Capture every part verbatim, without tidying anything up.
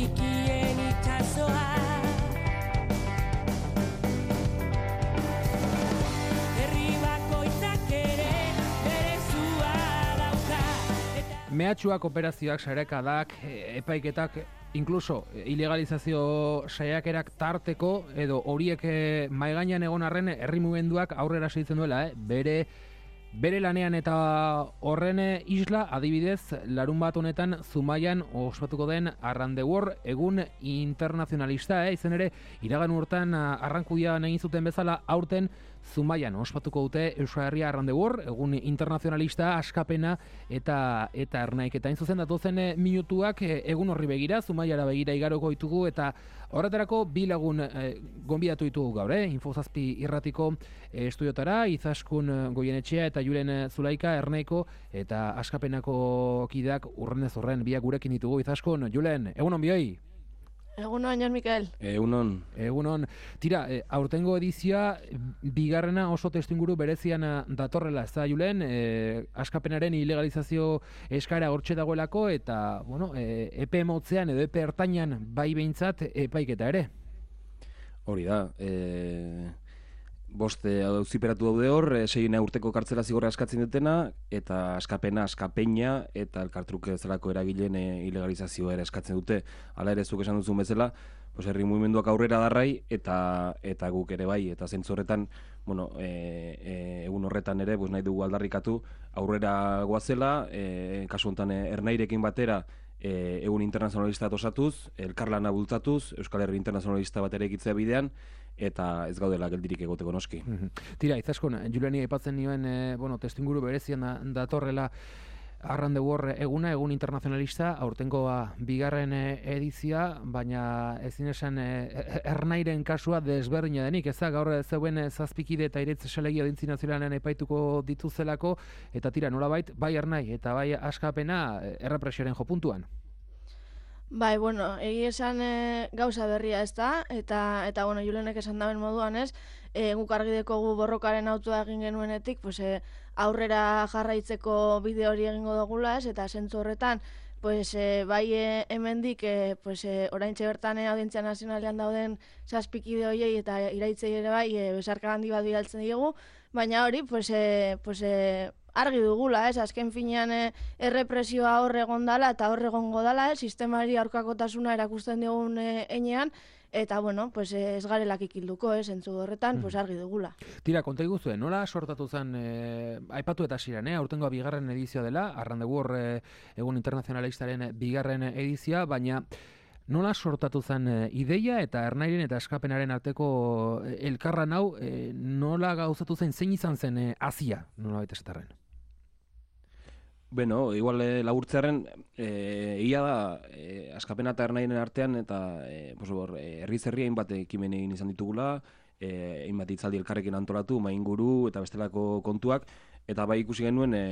txikien itxasoa. Herri bakoitzak ere bere zua dauka. Mehatxuak, operazioak, sarekadak, epaiketak, inkluso ilegalizazio saiakerak tarteko edo horiek mahai gainean egon arren herri mugimenduak aurrera segitzen duela, eh? bere Bere lanean eta horren isla, adibidez, larun bat honetan Zumaian ospatuko den Around the World egun internazionalista, eh? Izen ere, iragan urtean Arrankudian egin zuten bezala, aurten Zumaian ospatuko dute Euskal Herria Around the World, egun internazionalista, askapena eta eta ernaiketa. Hain zuzen datozen minutuak egun horri begira, Zumaiara begira igaroko ditugu eta horretarako bi lagun eh, gonbidatu ditugu gaur, eh? Infozazpi irratiko eh, estudiotara, Izaskun Goienetxea eta Julen Zulaika, Ernaiko eta askapenako kideak urrenez horren biak gurekin ditugu. Izaskun, Julen, egunon bioi? Egunon, Jon Mikel. Egunon. Egunon. Tira, e, aurtengo edizioa bigarrena oso testuinguru berezian datorrela, ez da, Julen? E, askapenaren ilegalizazio eskaera hortxe dagoelako eta, bueno, e, epe motzean edo epe ertainan bai behintzat epaiketa ere. Hori da, e... boste auziperatu daude hor, sei urteko kartzela zigorra eskatzen dutena, eta askapena, askapeina, eta elkartruke zelako eragileen ilegalizazioa ere eskatzen dute. Hala ere zuk esan duzun bezala, pues herri mugimenduak aurrera darrai, eta eta guk ere bai, eta zentzu horretan, bueno, e, e, egun horretan ere, pues nahi dugu aldarrikatu, aurrera goazela, e, kasu honetan Ernairekin batera, e, egun internazionalista osatuz, elkarlana bultzatuz, Euskal Herri internazionalista bat ere ekitzea bidean, eta ez gaudela geldirik egoteko noski. Tira, Izaskun, Juliani aipatzen nioen, e, bueno, testuinguru berezian da, datorrela Around the World eguna, egun internazionalista, aurtengoa bigarren edizia, baina ezin esan e, Ernairen kasua desberdina denik, ez da, gaur zeuen zazpikide eta iretz selegia dintzi nazionalean epaituko dituzelako, eta tira, nolabait, bai Ernai eta bai askapena errepresioaren jopuntuan. Bai, bueno, egi esan e, gauza berria ez da, eta, eta bueno, Julenek esan daben moduan ez, e, guk argi dekogu borrokaren autua egin genuenetik, pues, e, aurrera jarraitzeko bide hori egingo dugula ez, eta zentzu horretan, pues, e, bai e, hemendik, e, pues, e, oraintxe bertan e, Audientzia Nazionalean dauden zazpikide horiei eta iraitzei ere bai, e, besarka handi bat bidaltzen diegu, baina hori, pues, e, pues, e, argi dugula, ez, azken finean e, errepresioa hor egon dala eta hor egongo dala, ez, sistemari aurkakotasuna erakusten digun e, enean, eta, bueno, pues, ez garelak ikilduko, ez, entzu horretan, pues, argi dugula. Tira, konta iguzuen, nola sortatu zen, e, aipatu eta ziren, eh? Aurtengoa bigarren edizioa dela, Around the World e, egun internazionalistaren bigarren edizioa, baina nola sortatu zen e, ideia eta Ernairen eta askapenaren arteko e, elkarran hau, e, nola gauzatu zen, zein izan zen e, azia, nola baita esatarren? Bueno, igual e, laburtzearen, e, ia da, e, askapena eta Ernairen artean, eta e, pues, hor, e, herri zerri hainbat ekimen egin izan ditugula, e, hainbat hitzaldi elkarrekin antolatu, mainguru eta bestelako kontuak, eta bai ikusi genuen e,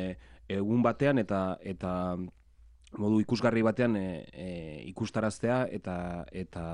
egun batean eta eta modu ikusgarri batean e, e, ikustaraztea eta eta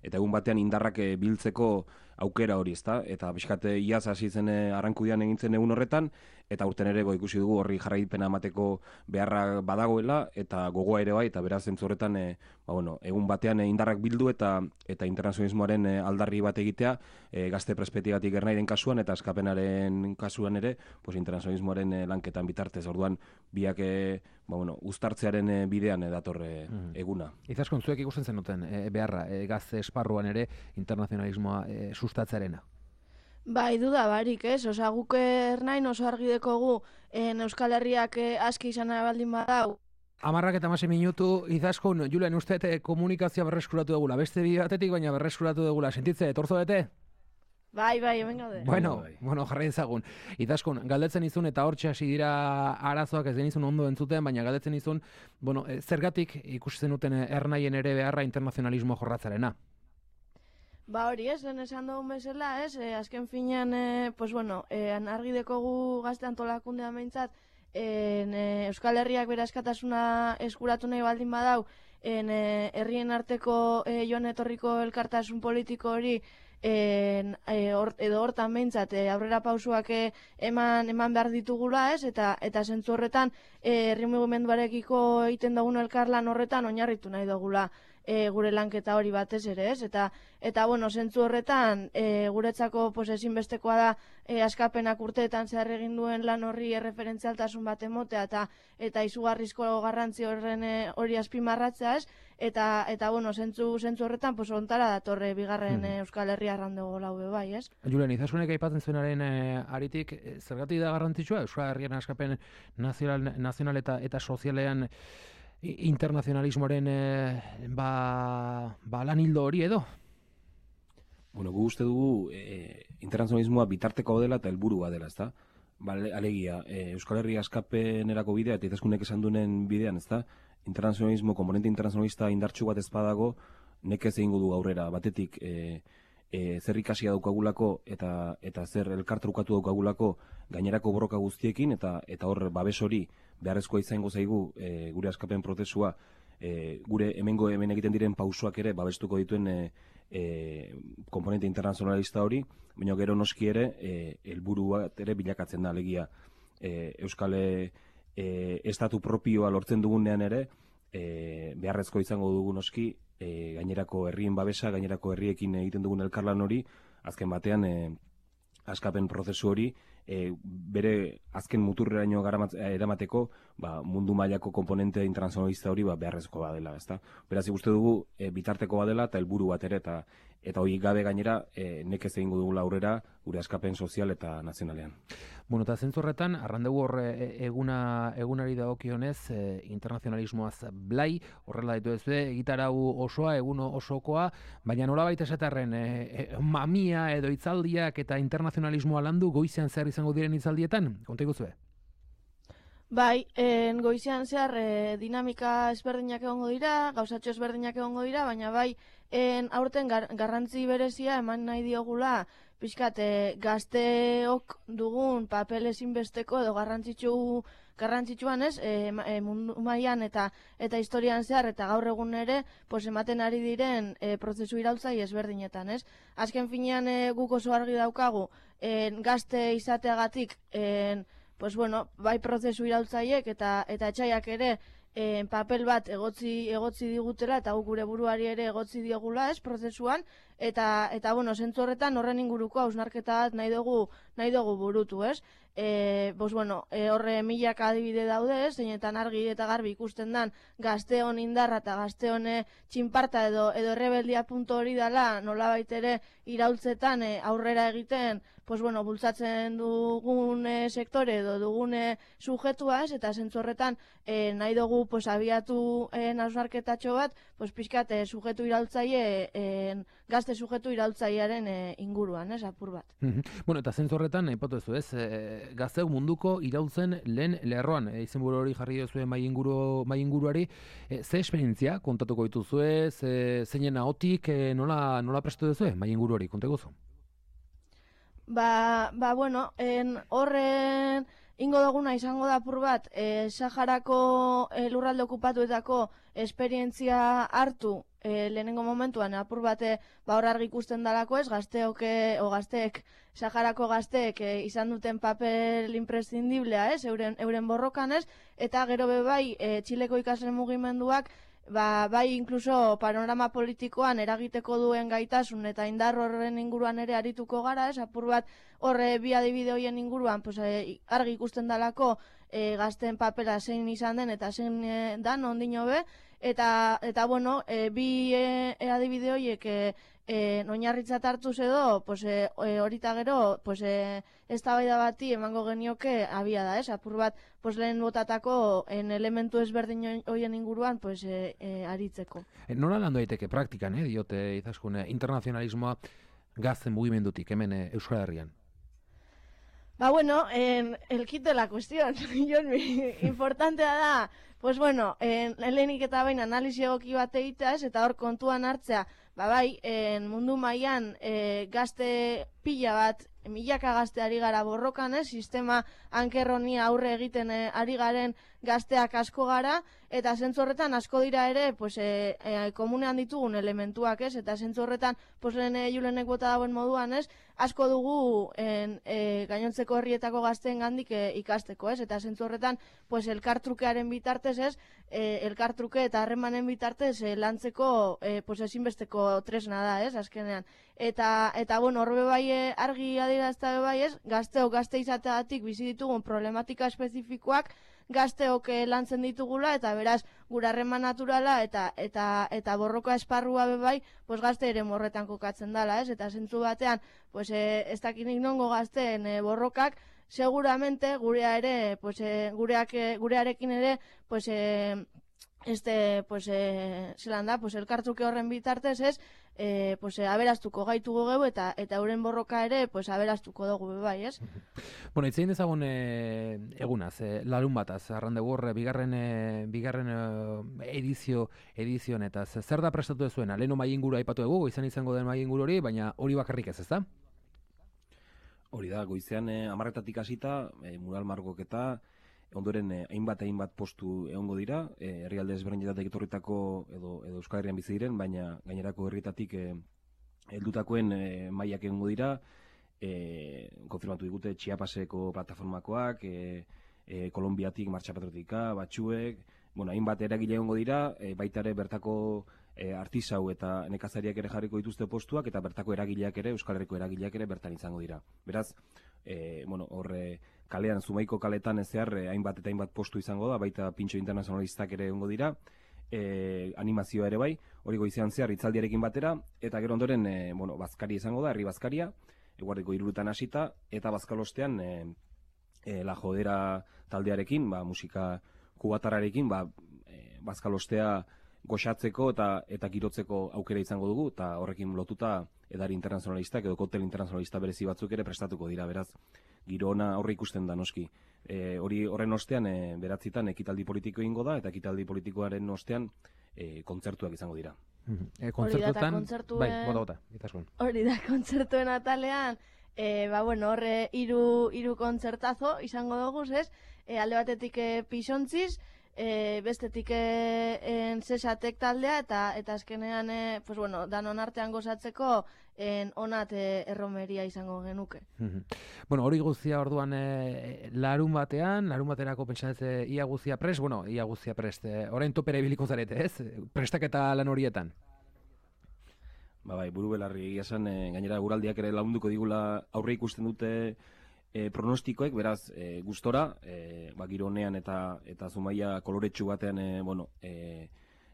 eta egun batean indarrak e, biltzeko aukera hori, ezta? Eta pixkate iaz hasi zen e, Arrankudian egintzen egun horretan, eta urten ere ikusi dugu horri jarraipena emateko beharra badagoela, eta gogoa ere bai, eta beraz zentzu horretan e, ba, bueno, egun batean e, indarrak bildu eta eta internazionalismoaren e, aldarri bat egitea, e, gazte perspektibatik Ernairen kasuan eta askapenaren kasuan ere, pues, internazionalismoaren e, lanketan bitartez, orduan biak e, ba, bueno, uztartzearen e, bidean e, dator e, mm. eguna. Izaskun, zuek ikusten zenuten e, beharra, e, gazte esparruan ere internazionalismoa e, sustatzarena. Bai, duda barik, ez? Osa, guk Ernain oso argi dekogu en Euskal Herriak aski izan baldin badau. Amarrak eta masi minutu, Izaskun, Julen, uste komunikazioa berreskuratu dugula, beste bi batetik, baina berreskuratu dugula. Sentitze, torzo bete? Bai, bai, hemen gaude. Bueno, bueno, jarri ezagun. Izaskun, galdetzen izun eta hortxe hasi dira arazoak ez denizun ondo entzuten, baina galdetzen izun, bueno, zergatik ikusten duten Ernaien ere beharra internazionalismo jorratzarena. Ba hori ez, lehen esan dugun bezala, ez, e, azken finean, e, pues bueno, e, argi dekogu gazte antolakundea meintzat, e, Euskal Herriak bere askatasuna eskuratu nahi baldin badau, en, e, herrien arteko e, joan etorriko elkartasun politiko hori, en, e, or, edo hortan meintzat, e, aurrera pausuak e, eman, eman behar ditugula, ez, eta eta zentzu horretan, e, herri mugimenduarekiko egiten dugun elkarlan horretan oinarritu nahi dugula. e, gure lanketa hori batez ere, ez? Eta, eta bueno, zentzu horretan, e, guretzako pues, ezinbestekoa da e, askapenak urteetan zehar egin duen lan horri erreferentzialtasun bat emotea, eta eta izugarrizko garrantzi horren e, hori azpimarratzea, ez? Eta, eta bueno, zentzu, zentzu horretan, pues, ontara datorre bigarren hmm. Euskal Herria arrandego laube bai, ez? Julen, Izaskunek aipatzen zuenaren e, aritik, e, zergatik da garrantzitsua Euskal Herrian askapen nazional, nazional eta, eta sozialean internazionalismoaren e, ba, ba lan hildo hori edo? Bueno, gu uste dugu e, internazionalismoa bitarteko dela eta helburua dela, ezta? Ba, alegia, e, Euskal Herria askapenerako bidea eta Izaskunek esan duen bidean, ezta? Internazionalismo, komponente internazionalista indartsu bat ez badago, nekez egingo du aurrera. Batetik, e, e, zer ikasia daukagulako eta eta zer elkartrukatu daukagulako gainerako borroka guztiekin, eta eta hor babes hori beharrezkoa izango zaigu e, gure askapen prozesua, e, gure hemengo hemen egiten diren pausoak ere babestuko dituen e, e, komponente internazionalista hori, baina gero noski ere e, helburua ere bilakatzen da, alegia e, Euskal E, estatu propioa lortzen dugunean ere e, beharrezko izango dugu noski e, gainerako herrien babesa, gainerako herriekin egiten dugun elkarlan hori, azken batean e, askapen prozesu hori e, bere azken muturreraino eramateko ba, mundu mailako komponente internazionalista hori ba, beharrezko badela, ezta? Beraz, ikuste dugu e, bitarteko badela eta helburu bat ere, eta eta hori gabe gainera e, nekez egingo dugu aurrera gure askapen sozial eta nazionalean. Bueno, eta zentzu horretan, arrandegu horre eguna, egunari dagokionez, e, internazionalismoaz blai, horrela ditu ez be, egitarau osoa, egun osokoa, baina nola baita esatarren, e, e, mamia edo hitzaldiak eta internazionalismoa landu goizean zer izango diren hitzaldietan? Konta iguzue? Bai, en, goizean zehar e, dinamika ezberdinak egongo dira, gauzatxo ezberdinak egongo dira, baina bai, en, aurten gar, garrantzi berezia eman nahi diogula, pixkat, e, gazteok dugun papel ezinbesteko edo garrantzitsu garrantzitsuan ez, e, e, mundu mailan eta eta historian zehar eta gaur egun ere, pues, ematen ari diren e, prozesu iraultzai ezberdinetan, ez? Azken finean e, guk oso argi daukagu, e, gazte izateagatik, e, pues bueno, bai prozesu iraultzaiek eta eta etxaiak ere e, papel bat egotzi egotzi digutela eta guk gure buruari ere egotzi diogula, ez, prozesuan, eta eta bueno, zentzu horretan horren inguruko hausnarketa bat nahi dugu nahi dugu burutu, ez? E, pues bueno, e, horre milaka adibide daude, ez, zeinetan argi eta garbi ikusten dan gazteon indarra eta gazteon txinparta edo edo errebeldia puntu hori dela, nolabait ere iraultzetan e, aurrera egiten, pues bueno, bultzatzen dugun e, sektore edo dugun e, sujetua, ez, eta zentzu horretan e, nahi dugu pues abiatu e, hausnarketatxo bat, pues pixkat e, sujetu iraultzaile e, gazte sujetu iraultzailearen e, inguruan, ez, apur bat. Bueno, eta zentzu horretan hipotezu, ez, e, gazteuk munduko irautzen lehen lerroan, e, izenburu hori jarri duzuen mai inguru mai inguruari, e, ze esperientzia kontatuko dituzue, ze zeinen ahotik, e, nola nola prestu duzue mai inguru hori, konta iguzu? Ba, ba bueno, en horren ingo duguna izango da apur bat, e, Saharako e, lurralde okupatuetako esperientzia hartu e, lehenengo momentuan, apur bate ba hor argi ikusten dalako, ez, gazteok o gazteek, Saharako gazteek e, izan duten papel imprescindiblea, ez, euren, euren borrokan, ez, eta gero be bai e, Txileko ikasle mugimenduak Ba, bai inkluso panorama politikoan eragiteko duen gaitasun eta indar horren inguruan ere arituko gara, ez, apur bat horre bi adibide horien inguruan pues, e, argi ikusten dalako e, gazten papera zein izan den eta zein e, dan ondino be, eta, eta bueno, e, bi e, e, adibide horiek e, e, oinarritzat hartuz edo, pues, e, horita gero, pues, e, eztabaida bati emango genioke abia da, ez, apur bat, pues, lehen botatako en elementu ezberdin horien inguruan, pues, e, e, aritzeko. E, nola landu daiteke praktikan, eh, diote Izaskun, internazionalismoa gazten mugimendutik, hemen e, Euskal Herrian? Ba, bueno, en, el kit de la cuestión, importantea da, pues bueno, en, lehenik eta bain analizi egoki bat egitea, eta hor kontuan hartzea, ba bai, en, mundu mailan e, gazte pila bat, milaka gazte ari gara borrokan, eh? Sistema ankerroni aurre egiten e, ari garen gazteak asko gara, eta zentzu horretan asko dira ere, pues, e, e, komunean ditugun elementuak, ez? Eta zentzu horretan, pues, lehen e, Julenek bota dauen moduan, ez? Asko dugu en, e, gainontzeko herrietako gazteen gandik e, ikasteko, ez? Eta zentzu horretan, pues, elkartrukearen bitartez, ez? E, elkartruke eta harremanen bitartez e, lantzeko e, pues, ezinbesteko tresna da, ez? Azkenean. Eta, eta bueno, horbe bai e, argi adierazta bai, ez? Gazteok gazte izateagatik bizi ditugun problematika espezifikoak gazteok e, lantzen ditugula, eta beraz, gure harreman naturala eta eta eta borroka esparrua be bai, pues gazte ere morretan kokatzen dala, ez? Eta zentzu batean, pues e, ez dakinik nongo gazteen e, borrokak, seguramente gurea ere, pues e, gureak e, gurearekin ere, pues e, este, pues e, zelan da, pues elkartruke horren bitartez, ez? E, pues, e, aberastuko gaitugu geu eta eta euren borroka ere pues, aberastuko dugu be bai, ez? Bueno, itzein dezagun e, egunaz, e, larun bataz, Arrandegur, bigarren, e, bigarren e, edizio, edizio honetaz. Zer da prestatu dezuena? Leheno mai inguru aipatu dugu, izan izango den mai inguru hori, baina hori bakarrik ez, ez da? Hori da, goizean eh, amarretatik hasita, eh, mural margoketa, ondoren eh, hainbat hainbat postu egongo dira, eh, herrialde ezberdinetatik etorritako edo edo Euskal Herrian bizi diren, baina gainerako herrietatik eh, heldutakoen eh, mailak egongo dira, eh, konfirmatu digute Chiapaseko plataformakoak, eh, eh, Kolonbiatik Martxa Patriotika, batzuek, bueno, hainbat eragile egongo dira, eh, baita ere bertako e, artisau eta nekazariak ere jarriko dituzte postuak, eta bertako eragileak ere, Euskal Herriko eragileak ere bertan izango dira. Beraz, e, bueno, horre kalean, Zumaiko kaletan ez zehar, e, hainbat eta hainbat postu izango da, baita pintxo internazionalistak ere egongo dira, e, animazioa ere bai, hori goizean zehar hitzaldiarekin batera, eta gero ondoren, e, bueno, bazkaria izango da, herri bazkaria, eguardiko hiruretan hasita, eta bazkalostean, e, e, La Jodera taldearekin, ba, musika kubatararekin, ba, e, bazkalostea goxatzeko eta eta girotzeko aukera izango dugu, eta horrekin lotuta edari internazionalistak edo koktel internazionalista berezi batzuk ere prestatuko dira, beraz, giro ona aurre ikusten da noski. E, hori horren ostean, e, beratzitan ekitaldi politiko egingo da, eta ekitaldi politikoaren ostean e, kontzertuak izango dira. E, kontzertuetan, kontzertuen... bai, bota, bota, itaskun. Hori da, kontzertuen atalean, e, ba, bueno, horre hiru hiru kontzertazo izango dugu, ez? E, alde batetik e, Pisontziz, E, bestetik e, en Zesatek taldea, eta eta azkenean e, pues bueno, danon artean gozatzeko en onat e, erromeria izango genuke. Bueno, hori guztia orduan e, larun batean, larun baterako pentsatzen ia guztia prest, bueno, ia guztia prest, e, orain topera ibiliko zarete, ez? Prestaketa lan horietan. Ba bai, buru belarri egia esan, e, gainera guraldiak ere lagunduko digula aurre ikusten dute E, pronostikoek, beraz, e, gustora, e, ba, giro honean eta eta Zumaia koloretsu batean, e, bueno, e,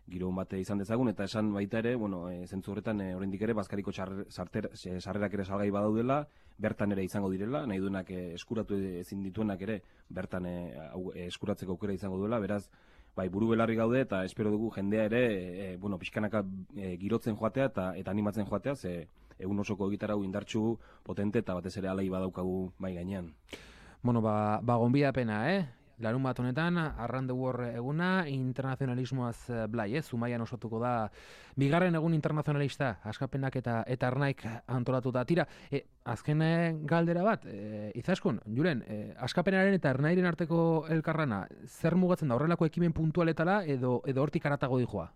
giro bate izan dezagun, eta esan baita ere, bueno, e, zentzu horretan, e, oraindik ere, Bazkariko sarrerak ere salgai badaudela, bertan ere izango direla, nahi duenak e, eskuratu ezin dituenak ere, bertan e, au, e, eskuratzeko aukera izango duela, beraz, bai, buru belarri gaude, eta espero dugu jendea ere, e, bueno, pixkanaka e, girotzen joatea eta, eta animatzen joatea, ze egun osoko egitarau indartsu, potente, eta batez ere alai badaukagu bai gainean. Bueno, ba, ba gonbidapena, eh? Larun bat honetan, Arrandegur eguna, internazionalismoaz blai, eh? Zumaian osatuko da, bigarren egun internazionalista, askapenak eta eta arnaik antolatuta. Tira, e, azken galdera bat, e, Izaskun, Julen, e, askapenaren eta arnairen arteko elkarrana, zer mugatzen da, horrelako ekimen puntualetara edo, edo hortik aratago dijoa?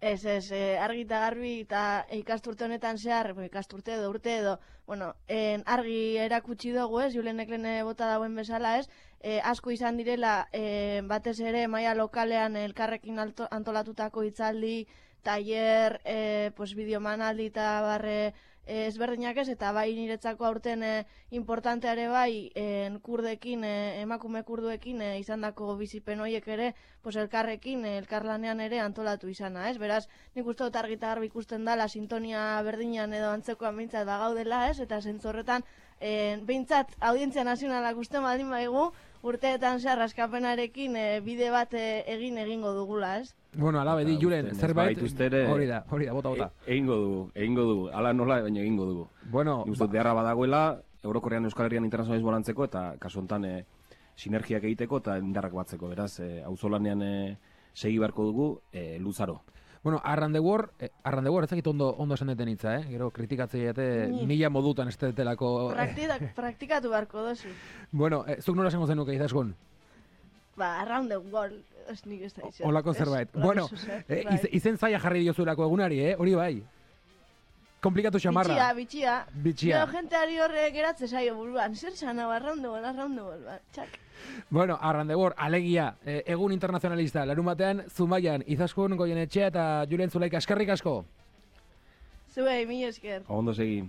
Ez, ez, eh, argi eta garbi eta ikasturte honetan zehar, ikasturte edo urte edo, bueno, en, argi erakutsi dugu, ez, Julenek lehen bota dauen bezala, ez, eh, asko izan direla, eh, batez ere maila lokalean elkarrekin alto, antolatutako hitzaldi, tailer, eh, pues, bideomanaldi eta barre eh, ezberdinak ez, eta bai niretzako aurten eh, importanteare bai en, kurdekin, eh, emakume kurduekin eh, izandako bizipen horiek ere, pues, elkarrekin, eh, elkarlanean ere antolatu izana, ez? Beraz, nik uste dut argi eta garbi ikusten dala sintonia berdinan edo antzekoan behintzat bagaudela, ez? Eta zentzorretan, eh, behintzat audientzia nazionalak uste baldin baigu, urteetan zehar askapenarekin eh, bide bat eh, egin egingo dugula, ez? Bueno, ala bedi, Julen, zerbait, hori da, hori da, bota, bota. E, egingo dugu, egingo dugu, ala nola, baina egingo dugu. Bueno, Nik uste dut beharra badagoela, Eurokorrean Euskal Herrian internazionalismo lantzeko, eta kasu honetan e, sinergiak egiteko eta indarrak batzeko, beraz, e, auzolanean e, segi beharko dugu, e, luzaro. Bueno, Arrandegur, eh, Arrandegur ez dakit ondo, ondo esan deten hitza, eh? Gero kritikatzei ete mila modutan ez detelako... Praktika, praktikatu beharko dozu. Bueno, eh, zuk nola esango zenuke, Izaskun? ba, around the world, ez nik ez da izan. Olako zerbait. Bueno, eh, iz, izen zaila jarri diozuelako egunari, eh? Hori bai. Komplikatu xamarra. Bitxia, bitxia. Bitxia. Gero jenteari horre geratze zaio buruan. Zer zan hau, around the world, around the world, ba, txak. Bueno, Arrandebor, alegia, eh, egun internazionalista, larun batean, Zumaian, Izaskun, Goienetxea eta Julen Zulaika, eskerrik asko. Zuei, mi esker. Ondo segi.